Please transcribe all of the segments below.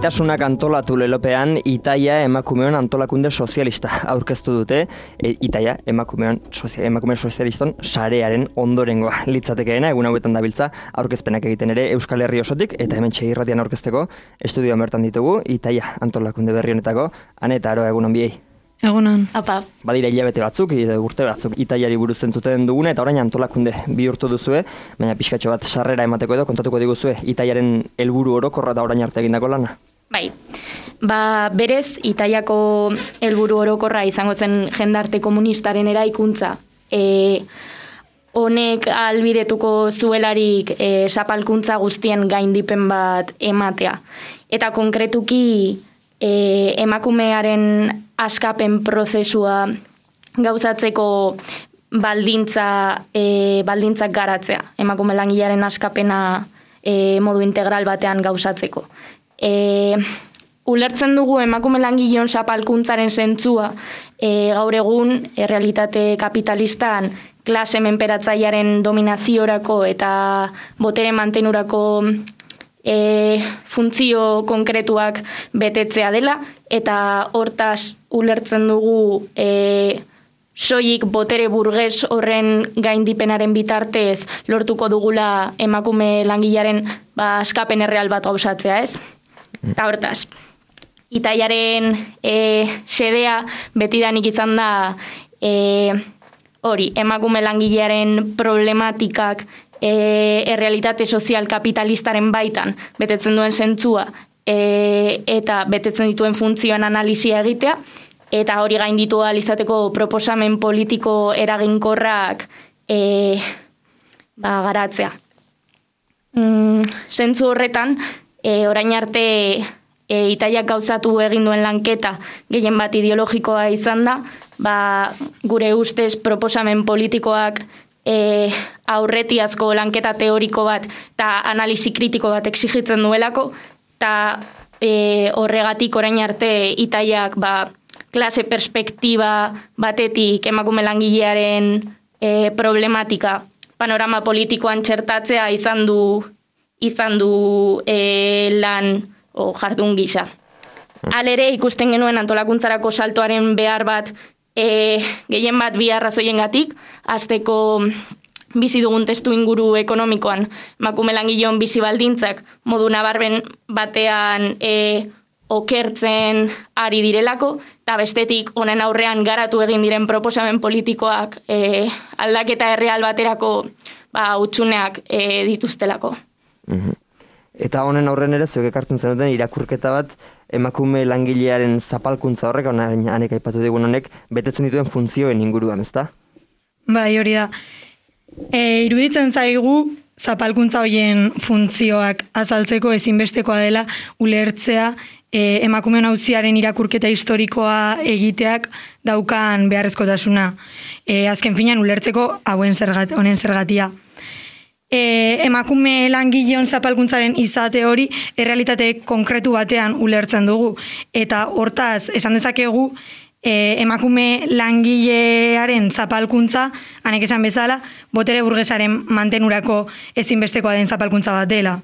Gaitasunak antolatu lelopean Itaia emakumeon antolakunde sozialista aurkeztu dute. Itaia emakume sozialiston sarearen ondorengoa litzatekeena, egun hauetan dabiltza aurkezpenak egiten ere Euskal Herri osotik, eta hemen irratian aurkezteko estudioan bertan ditugu Itaia antolakunde berri honetako Ane eta Aroa, egun on biei. Egunon. Apa. Badira hilabete batzuk, urte batzuk Itaiari buruz entzuten duguna, eta orain antolakunde bihurtu duzue, baina pixkatxo bat sarrera emateko edo kontatuko diguzue Itaiaren helburu orokorra da orain arte egindako lana. Bai. Berez Itaiako helburu orokorra izango zen jendarte komunistaren eraikuntza. Honek ahalbidetuko zuelarik zapalkuntza guztien gaindipen bat ematea. Eta konkretuki emakumearen askapen prozesua gauzatzeko baldintzak garatzea. Emakume langilearen askapena modu integral batean gauzatzeko. Ulertzen dugu emakume langileon zapalkuntzaren zentzua gaur egun realitate kapitalistan klase menperatzailearen dominaziorako eta botere mantenurako funtzio konkretuak betetzea dela, eta hortaz ulertzen dugu soilik botere burges horren gaindipenaren bitartez lortuko dugula emakume langilearen askapen erreal bat gauzatzea, ez? Eta hortaz, Itaiaren xedea betidanik izan da emakume langilearen problematikak errealitate sozial kapitalistaren baitan betetzen duen zentzua eta betetzen dituen funtzioen analisia egitea, eta hori gainditu ahal izateko proposamen politiko eraginkorrak garatzea. Zentzu horretan, orain arte Itaiak gauzatu egin duen lanketa gehien bat ideologikoa izan da, gure ustez proposamen politikoak aurretiazko lanketa teoriko bat eta analisi kritiko bat exigitzen duelako, eta horregatik orain arte Itaiak klase perspektiba batetik emakume langilearen problematika panorama politikoan txertatzea izan du lan jardun gisa. Halere ikusten genuen antolakuntzarako saltoaren behar bat gehien bat bi arrazoiengatik, hasteko bizi dugun testu inguru ekonomikoan emakume langileon bizi baldintzak modu nabarmen batean okertzen ari direlako, eta bestetik honen aurrean garatu egin diren proposamen politikoak aldaketa erreal baterako hutsuneak dituztelako. Eta honen aurren ere zuek ekartzen zenuten irakurketa bat emakume langilearen zapalkuntza horrek, Anek aipatu digun honek, betetzen dituen funtzioen inguruan, ezta? Bai, hori da. Iruditzen zaigu zapalkuntza horien funtzioak azaltzeko ezinbestekoa dela ulertzea emakumeon auziaren irakurketa historikoa egiteak daukan beharrezkotasuna. Azken finean ulertzeko honen zergatia. Emakume langileon zapalkuntzaren izate hori errealitate konkretu batean ulertzen dugu, eta hortaz esan dezakegu emakume langilearen zapalkuntza, Anek esan bezala, botere burgesaren mantenurako ezinbestekoa den zapalkuntza bat dela.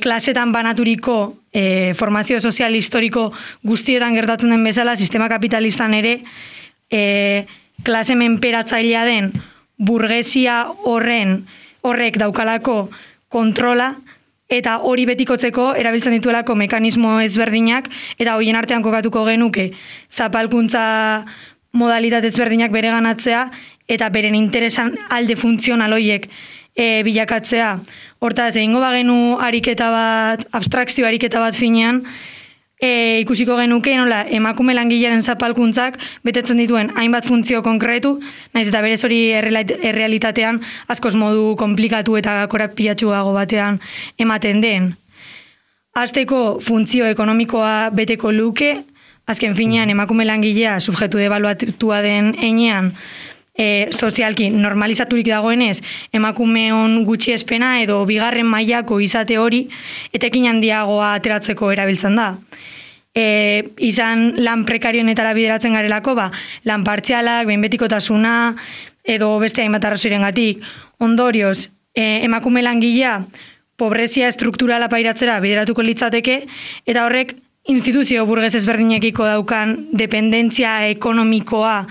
Klasetan banaturiko formazio sozial historiko guztietan gertatzen den bezala, sistema kapitalistan ere klase menperatzailea den burgesia horrek daukalako kontrola, eta hori betikotzeko erabiltzen dituelako mekanismo ezberdinak, eta horien artean kokatuko genuke zapalkuntza modalitate ezberdinak bereganatzea, eta beren interesan alde funtzional horiek bilakatzea. Hortaz, egingo bagenu ariketa bat, abstrakzio ariketa bat finean, ikusiko genuke nola emakume langilearen zapalkuntzak betetzen dituen hainbat funtzio konkretu, naiz eta berez hori errealitatean askoz modu komplikatu eta korapilatsuago batean ematen den. Hasteko funtzio ekonomikoa beteko luke, azken finean emakume langilea subjektu debaluatua den heinean, sozialki normalizaturik dagoenez emakumeon gutxiespena edo bigarren mailako izate hori etekin handiagoa ateratzeko erabiltzen da. Izan lan prekarionetara bideratzen garelako, lan partzialak, behinbetikotasuna edo beste hainbat arrazoirengatik. Ondorioz, emakume langilea pobrezia estrukturala pairatzera bideratuko litzateke, eta horrek instituzio burges ezberdinekiko daukan dependentzia ekonomikoa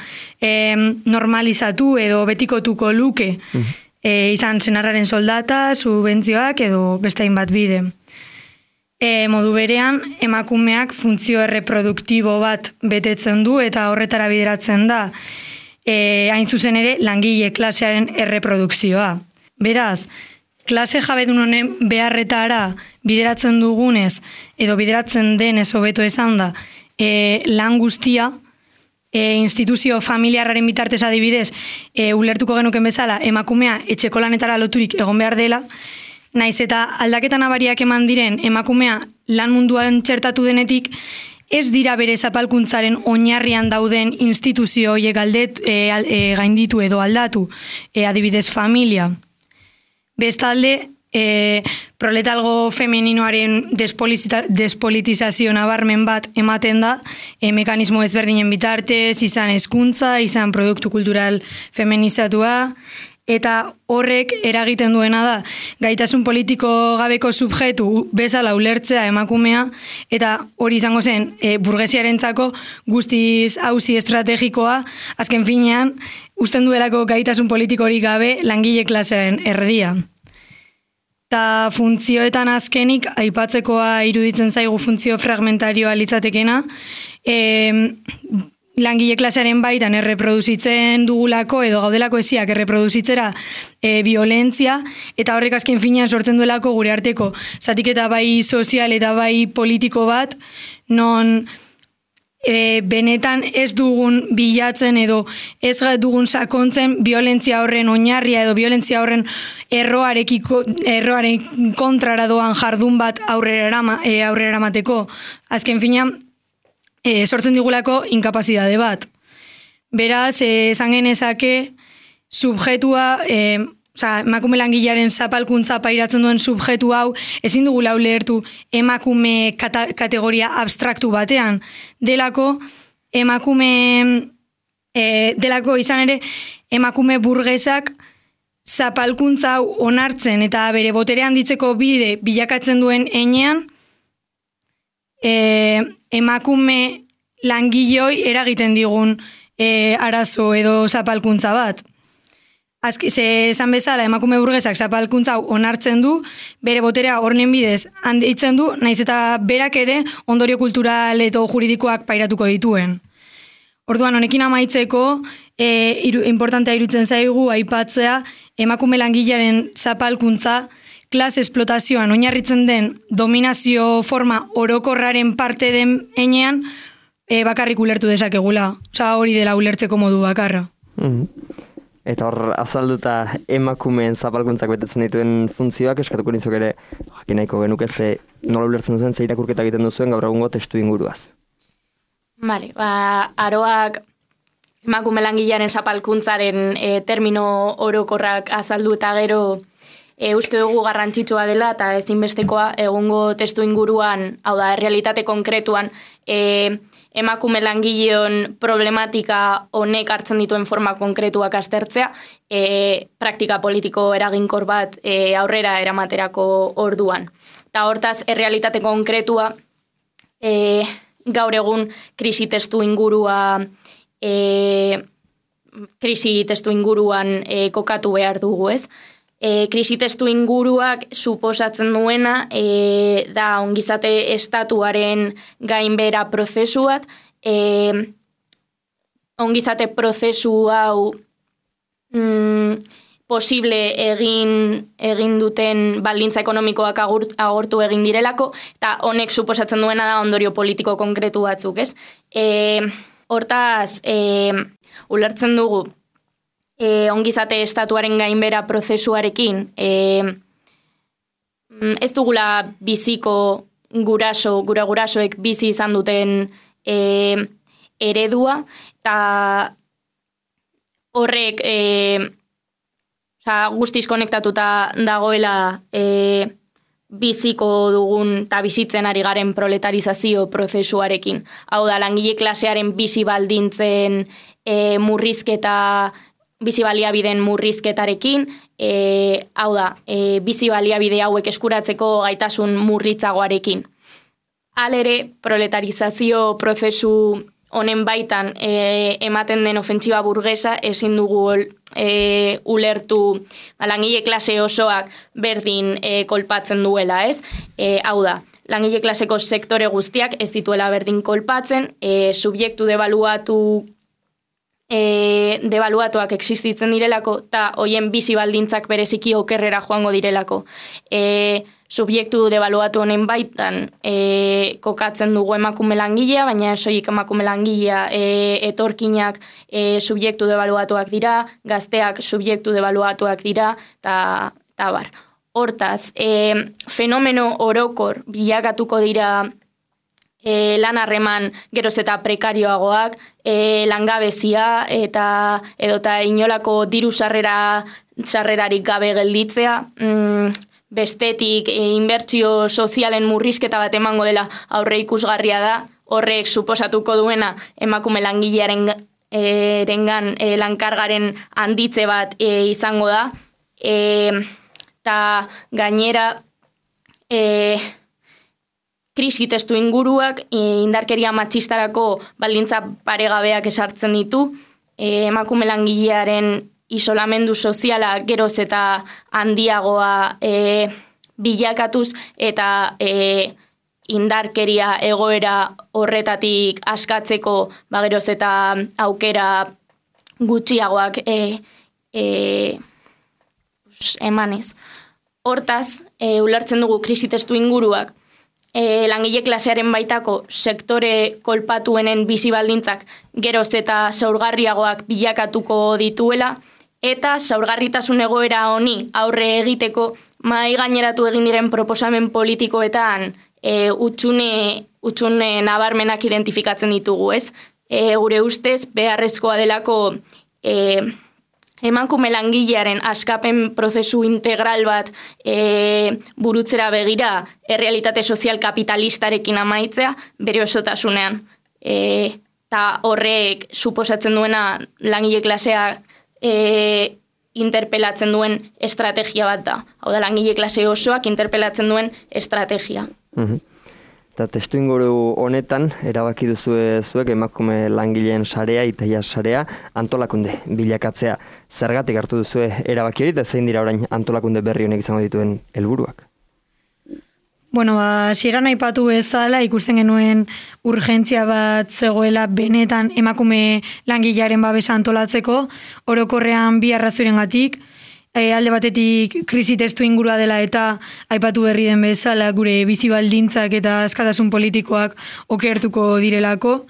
normalizatu edo betikotuko luke, izan senarraren soldata, subentzioak edo beste hainbat bide. Modu berean, emakumeak funtzio erreproduktibo bat betetzen du eta horretara bideratzen da, hain zuzen ere, langile klasearen erreprodukzioa. Beraz, klase jabedun honen beharretara bideratzen dugunez, edo bideratzen denez hobeto esan da, lan guztia, instituzio familiarraren bitartez adibidez, ulertuko genuken bezala, emakumea etxeko lanetara loturik egon behar dela, naiz eta aldaketa nabariak eman diren emakumea lan munduan txertatu denetik, ez dira bere zapalkuntzaren oinarrian dauden instituzio horiek gainditu edo aldatu, adibidez familia. Bestalde, proletalgo femeninoaren despolitizazio nabarmen bat ematen da, mekanismo ezberdinen bitartez, izan hezkuntza, izan produktu kultural feminizatua, eta horrek eragiten duena da, gaitasun politiko gabeko subjektu bezala ulertzea emakumea, eta hori izango zen burgesiarentzako guztiz auzi estrategikoa, azken finean, uzten duelako gaitasun politiko hori gabe langile klasearen erdia. Eta funtzioetan azkenik, aipatzekoa iruditzen zaigu funtzio fragmentarioa litzatekena, langile klasearen baitan erreproduzitzen dugulako edo gaudelako eziak erreproduzitzera violentzia, eta horrek azken finean sortzen duelako gure arteko zatiketa bai sozial eta bai politiko bat, non benetan ez dugun bilatzen edo ez dugun sakontzen violentzia horren oinarria edo violentzia horren erroaren kontrara doan jardun bat aurrera eramateko. Azken finean, sortzen digulako inkapazidade bat. Beraz, esan genezake, subjetua, emakume langilearen zapalkuntza pairatzen duen subjetu hau, ezin dugula ulertu emakume kategoria abstraktu batean. Delako izan ere, emakume burgesak zapalkuntza hau onartzen eta bere botere handitzeko bide bilakatzen duen heinean, emakume langiloi eragiten digun arazo edo zapalkuntza bat. Esan bezala, emakume burgesak zapalkuntza onartzen du, bere boterea horren bidez handitzen du, naiz eta berak ere ondorio kultural edo juridikoak pairatuko dituen. Orduan, honekin amaitzeko, importantea iruditzen zaigu aipatzea emakume langilearen zapalkuntza klase esplotazioan oinarritzen den dominazio forma orokorraren parte den heinean bakarrik ulertu dezakegula. Hori dela ulertzeko modu bakarra. Eta hor, azalduta emakumeen zapalkuntzak betetzen dituen funtzioak, eskatuko nizok ere, jakin nahiko genuke nola ulertzen duzuen, ze irakurketa egiten duzuen gaur egungo testu inguruaz. Bale, aroak emakume langilearen zapalkuntzaren termino orokorrak azaldu eta gero uste dugu garrantzitsua dela eta ezinbestekoa egungo testu inguruan, hau da, realitate konkretuan, emakume langileon problematika honek hartzen dituen forma konkretuak aztertzea, praktika politiko eraginkor bat aurrera eramaterako orduan. Eta hortaz, errealitate konkretua gaur egun krisi testu inguruan kokatu behar dugu, ez? Krisi testu inguruak suposatzen duena da ongizate estatuaren gainbera prozesu bat, ongizate prozesu hau posible egin duten baldintza ekonomikoak agortu egin direlako, eta honek suposatzen duena da ondorio politiko konkretu batzuk, ez? Hortaz, ulertzen dugu, ongizate estatuaren gainbera prozesuarekin ez dugula biziko gure gurasoek bizi izan duten eredua, eta horrek guztiz konektatuta dagoela biziko dugun eta bizitzen ari garen proletarizazio prozesuarekin. Hau da, langile klasearen bizi baldintzen murrizketa bizi baliabideen murrizketarekin, hau da, bizi baliabide hauek eskuratzeko gaitasun murritzagoarekin. Halere, proletarizazio prozesu honen baitan ematen den ofentsiba burgesa ezin dugu ulertu langile klase osoak berdin kolpatzen duela, ez? Hau da, langile klaseko sektore guztiak ez dituela berdin kolpatzen, subjektu debaluatuak existitzen direlako, eta hoien bizi baldintzak bereziki okerrera joango direlako. Subjektu debaluatu honen baitan kokatzen dugu emakume langilea, baina soilik emakume langilea etorkinak subjektu debaluatuak dira, gazteak subjektu debaluatuak dira, eta bar. Hortaz, fenomeno orokor bilakatuko dira lan harreman geroz eta prekarioagoak, langabezia edota inolako diru sarrerarik gabe gelditzea, bestetik inbertsio sozialen murrizketa bat emango dela aurre ikusgarria da, horrek suposatuko duena emakume langilearen lankargaren handitze bat izango da, eta gainera krisi testu inguruak indarkeria matxistarako baldintza paregabeak esartzen ditu, emakume langilearen isolamendu soziala geroz eta handiagoa bilakatuz eta indarkeria egoera horretatik askatzeko geroz eta aukera gutxiagoak emanez. Hortaz, ulertzen dugu krisi testu inguruak langile klasearen baitako sektore kolpatuenen bizi baldintzak geroz eta zaurgarriagoak bilakatuko dituela, eta zaurgarritasun egoera honi aurre egiteko mahai gaineratu egin diren proposamen politikoetan utxune nabarmenak identifikatzen ditugu, ez? Gure ustez, beharrezkoa delako emakume langilearen askapen prozesu integral bat burutzera begira errealitate sozial kapitalistarekin amaitzea bere osotasunean. Eta horrek suposatzen duena langile klasea interpelatzen duen estrategia bat da. Hau da, langile klase osoak interpelatzen duen estrategia. Eta testu inguru honetan, erabaki duzue zuek emakume langileen sarea, Itaia sarea, antolakunde bilakatzea. Zergatik hartu duzue erabaki hori, eta zein dira orain antolakunde berri honek izango dituen helburuak? Bueno, hasieran aipatu bezala ikusten genuen urgentzia bat zegoela benetan emakume langilearen babesa antolatzeko, orokorrean bi arrazoirengatik, alde batetik krisi testu ingurua dela eta aipatu berri den bezala gure bizi baldintzak eta askatasun politikoak okertuko direlako,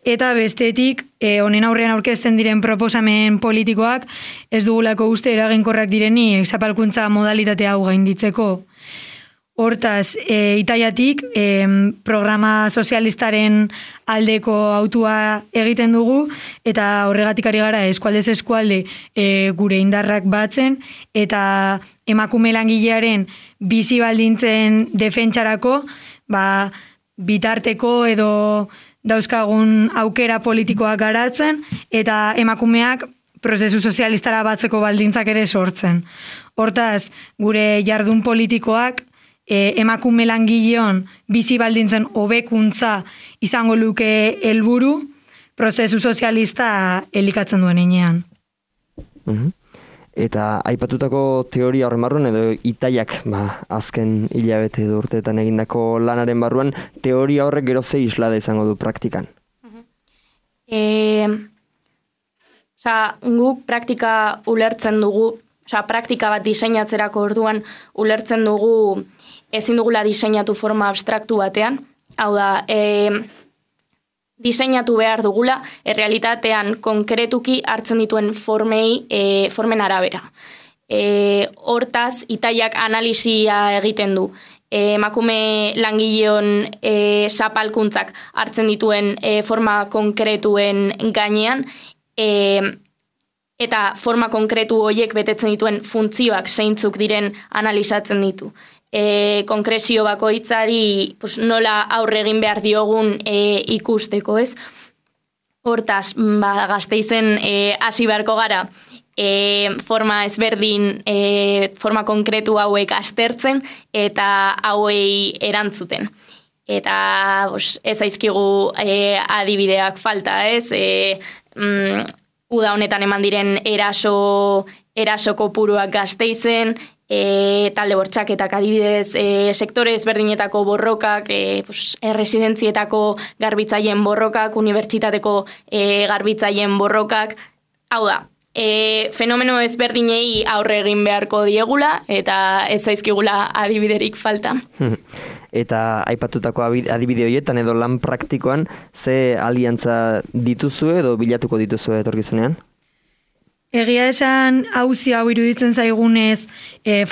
eta bestetik honen aurrean aurkezten diren proposamen politikoak ez dugulako uste eraginkorrak direnik zapalkuntza modalitate hau gainditzeko. Hortaz, Itaiatik programa sozialistaren aldeko autua egiten dugu eta horregatik ari gara eskualdez eskualde gure indarrak batzen eta emakume langilearen bizi baldintzen defentsarako bitarteko edo dauzkagun aukera politikoak garatzen eta emakumeak prozesu sozialistara batzeko baldintzak ere sortzen. Hortaz, gure jardun politikoak emakume langileon bizi baldintzen hobekuntza izango luke helburu prozesu sozialista elikatzen duen heinean. Eta aipatutako teoria horren barruan edo Itaiak azken hilabete edo urteetan egindako lanaren barruan teoria horrek gero ze islada izango du praktikan? Guk praktika ulertzen dugu, praktika bat diseinatzerako orduan ulertzen dugu ezin dugula diseinatu forma abstraktu batean. Hau da, diseinatu behar dugula, errealitatean konkretuki hartzen dituen formen arabera. Hortaz, Itaiak analisia egiten du. Emakume langileon zapalkuntzak hartzen dituen forma konkretuen gainean, eta forma konkretu horiek betetzen dituen funtzioak zeintzuk diren analizatzen ditu. Konkrezio bakoitzari nola aurre egin behar diogun ikusteko, ez? Hortaz, Gasteizen hasi beharko gara forma ezberdin, forma konkretu hauek aztertzen eta hauei erantzuten. Eta ez zaizkigu adibideak falta, ez? Uda honetan eman diren eraso kopuruak Gasteizen, talde bortxaketak adibidez, sektore ezberdinetako borrokak, erresidentzietako garbitzaien borrokak, unibertsitateko garbitzaien borrokak, hau da, fenomeno ezberdinei aurre egin beharko diegula eta ez zaizkigula adibiderik falta. Eta aipatutako adibide horietan edo lan praktikoan ze aliantza dituzue edo bilatuko dituzue etorkizunean? Egia esan auzi hau iruditzen zaigunez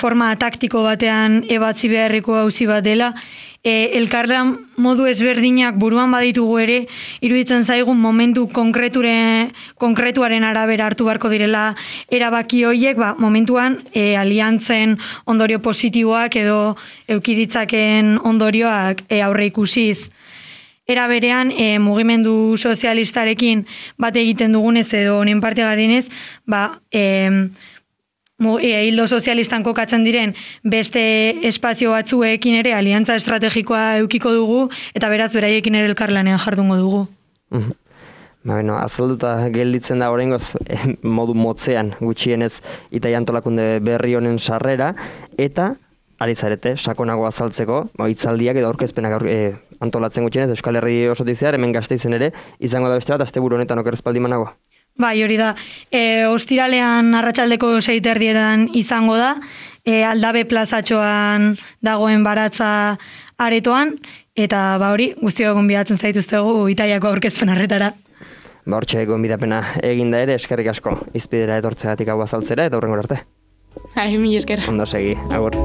forma taktiko batean ebatzi beharreko auzi bat dela. Elkarlan modu ezberdinak buruan baditugu ere, iruditzen zaigun momentu konkretuaren arabera hartu beharko direla erabaki horiek, momentuan aliantzen ondorio positiboak edo eukiditzaken ondorioak aurre ikusiz. Era berean, mugimendu sozialistarekin bat egiten dugunez edo honen parte garenez, hildo sozialistan kokatzen diren beste espazio batzuekin ere aliantza estrategikoa eukiko dugu eta beraz beraiekin ere elkarlanean jardungo dugu. Azalduta gelditzen da oraingoz modu motzean gutxienez Itaia antolakunde berri honen sarrera eta ari zarete sakonago azaltzeko hitzaldiak edo aurkezpenak antolatzen gutxienez Euskal Herri osotik zehar hemen Gasteizen ere izango da beste bat asteburu honetan oker espaldi manago. Bai, hori da. Ostiralean arratsaldeko 6:00 izango da. Aldabe plazatxoan dagoen baratza aretoan eta hori guztiok gonbidatzen zaituztegu Itaiako aurkezpen horretara. Hortxe gonbidapena eginda ere eskerrik asko izpidera etortzegatik hau azaltzera eta hurrengora arte. Mila esker. Ondo segi, agur.